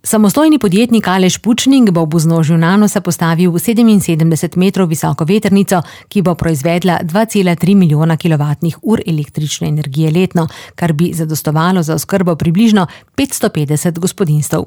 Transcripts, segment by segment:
Samostojni podjetnik Aleš Pučnik bo v vznožju Nanosa postavil 77 metrov visoko vetrnico, ki bo proizvedla 2,3 milijona kilovatnih ur električne energije letno, kar bi zadostovalo za oskrbo približno 550 gospodinjstev.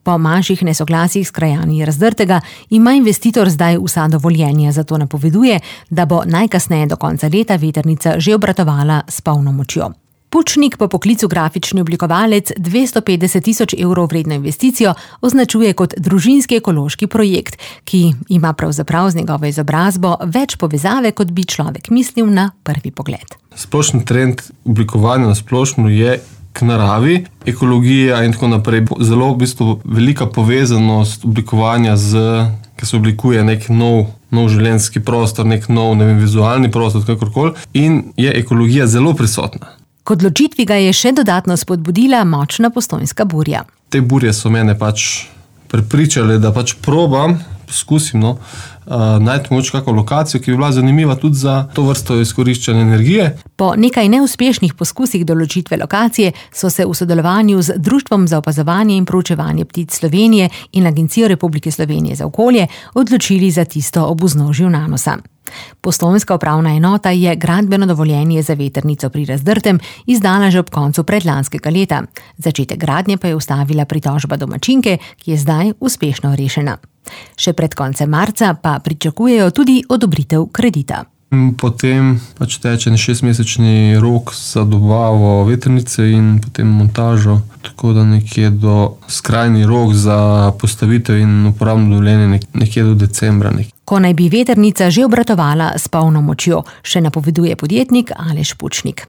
Po manjših nesoglasjih s krajani Razdrtega ima investitor zdaj vsa dovoljenja, zato napoveduje, da bo najkasneje do konca leta vetrnica že obratovala s polno močjo. Pučnik po poklicu grafični oblikovalec 250 tisoč evrov vredno investicijo označuje kot družinski ekološki projekt, ki ima pravzaprav z njegovo izobrazbo več povezave, kot bi človek mislil na prvi pogled. Splošni trend oblikovanja na splošno je k naravi, ekologija in tako naprej. Zelo velika povezanost oblikovanja ki se oblikuje nek nov življenjski prostor, nek nov vizualni prostor, kakorkoli, in je ekologija zelo prisotna. K odločitvi ga je še dodatno spodbudila močna postojnska burja. Te burje so mene prepričale, da poskusim najti moč kako lokacijo, ki bi bila zanimiva tudi za to vrsto izkoriščanja energije. Po nekaj neuspešnih poskusih določitve lokacije so se v sodelovanju z Društvom za opazovanje in proučevanje ptic Slovenije in Agencijo Republike Slovenije za okolje odločili za tisto ob vznožju Nanosa. Postojnska upravna enota je gradbeno dovoljenje za vetrnico pri Razdrtem izdala že ob koncu predlanskega leta. Začetek gradnje pa je ustavila pritožba domačinke, ki je zdaj uspešno rešena. Še pred koncem marca pa pričakujejo tudi odobritev kredita. Potem teče 6-mesečni rok za dobavo vetrnice in potem montažo, tako da nekje do skrajni rok za postavitev in uporabno dovoljenje nekje do decembra. Ko naj bi vetrnica že obratovala s polno močjo, še napoveduje podjetnik Aleš Pučnik.